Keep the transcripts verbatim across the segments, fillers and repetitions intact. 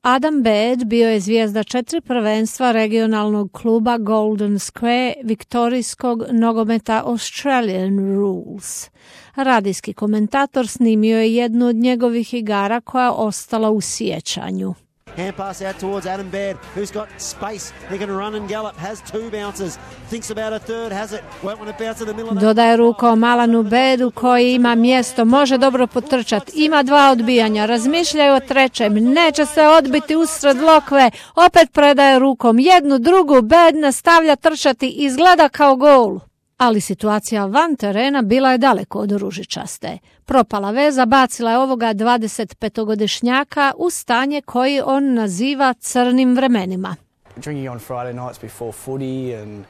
Adam Baird bio je zvijezda četiri prvenstva regionalnog kluba Golden Square viktorijskog nogometa Australian Rules. Radijski komentator snimio je jednu od njegovih igara koja je ostala u sjećanju. Hand pass out towards Adam Baird, who's got space. He can run and gallop, has two bounces. Thinks about a third, has it. Won't want to bounce in the middle of the... Dodaje rukom Alanu Bairdu koji ima mjesto, može dobro potrčati. Ima dva odbijanja, razmišljaju o trećem, neće se odbiti usred lokve. Opet predaje rukom jednu, drugu, Baird nastavlja trčati, izgleda kao gol. Ali situacija van terena bila je daleko od ružičaste. Propala veza bacila je ovoga dvadesetpetogodišnjaka u stanje koji on naziva crnim vremenima. Drinking on Friday nights before footy and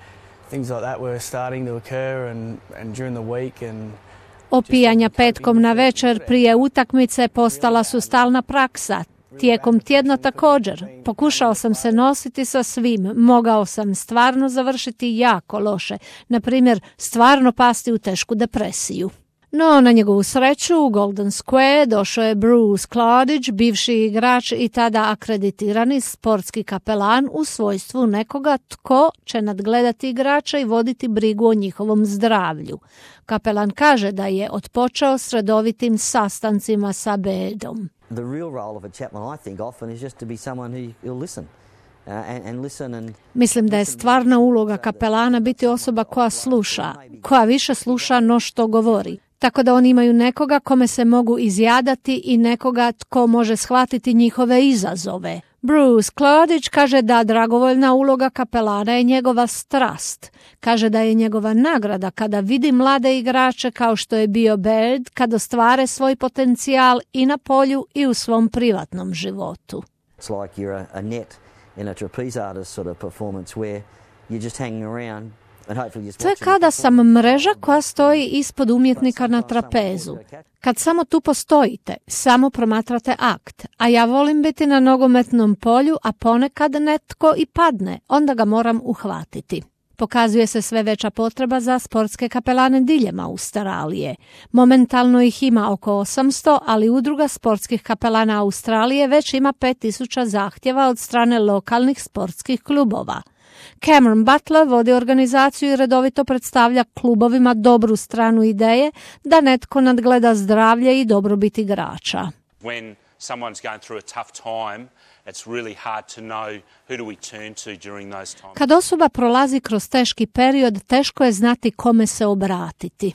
things like that were starting to occur and and during the week and Opijanja petkom na večer prije utakmice postala su stalna praksa. Tijekom tjedna također. Pokušao sam se nositi sa svim. Mogao sam stvarno završiti jako loše. Na primjer, stvarno pasti u tešku depresiju. No, na njegovu sreću u Golden Square došao je Bruce Claridge, bivši igrač i tada akreditirani sportski kapelan u svojstvu nekoga tko će nadgledati igrača i voditi brigu o njihovom zdravlju. Kapelan kaže da je otpočeo s redovitim sastancima sa Bairdom. The real role of a chaplain, I think, often is just to be someone who will listen. Uh, and, and listen and... Mislim da je stvarna uloga kapelana biti osoba koja sluša, koja više sluša no što govori. Tako da oni imaju nekoga kome se mogu izjadati i nekoga tko može shvatiti njihove izazove. Bruce Claridge kaže da dragovoljna uloga kapelana je njegova strast. Kaže da je njegova nagrada kada vidi mlade igrače kao što je bio Baird, kada ostvare svoj potencijal i na polju i u svom privatnom životu. It's like you're a, a net in a trapeze artist sort of performance where you're just hanging around. To je kada sam mreža koja stoji ispod umjetnika na trapezu. Kad samo tu postojite, samo promatrate akt, a ja volim biti na nogometnom polju, a ponekad netko i padne, onda ga moram uhvatiti. Pokazuje se sve veća potreba za sportske kapelane diljem Australije. Momentalno ih ima oko osamsto, ali udruga sportskih kapelana Australije već ima pet tisuća zahtjeva od strane lokalnih sportskih klubova. Cameron Butler vodi organizaciju i redovito predstavlja klubovima dobru stranu ideje da netko nadgleda zdravlje i dobrobit igrača. When someone's going through a tough time, it's really hard to know who do we turn to during those times. Kad osoba prolazi kroz teški period, teško je znati kome se obratiti.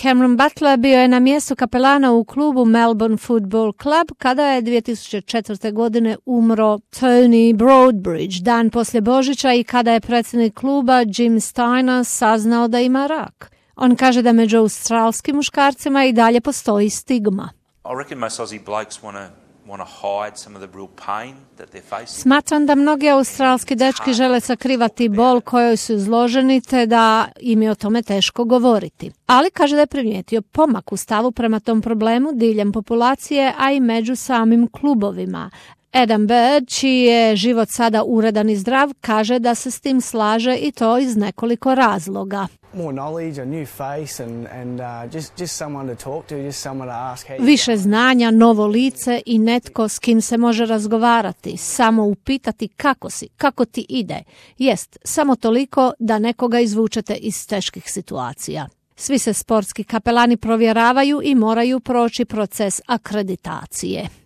Cameron Butler bio je na mjestu kapelana u klubu Melbourne Football Club kada je dvije tisuće četvrte. godine umro Tony Broadbridge dan poslije Božića i kada je predsjednik kluba Jim Steiner saznao da ima rak. On kaže da među australskim muškarcima i dalje postoji stigma. I reckon most Aussie blokes want to want to hide some of the real pain that they're facing. Smatram da mnogi australski dečki žele sakrivati bol kojoj su izloženi te da im je o tome teško govoriti. Ali kaže da je primijetio pomak u stavu prema tom problemu diljem populacije, a i među samim klubovima. Adam Baird, čiji je život sada uredan i zdrav, kaže da se s tim slaže i to iz nekoliko razloga. Više znanja, novo lice i netko s kim se može razgovarati, samo upitati kako si, kako ti ide. Jest, samo toliko da nekoga izvučete iz teških situacija. Svi se sportski kapelani provjeravaju i moraju proći proces akreditacije.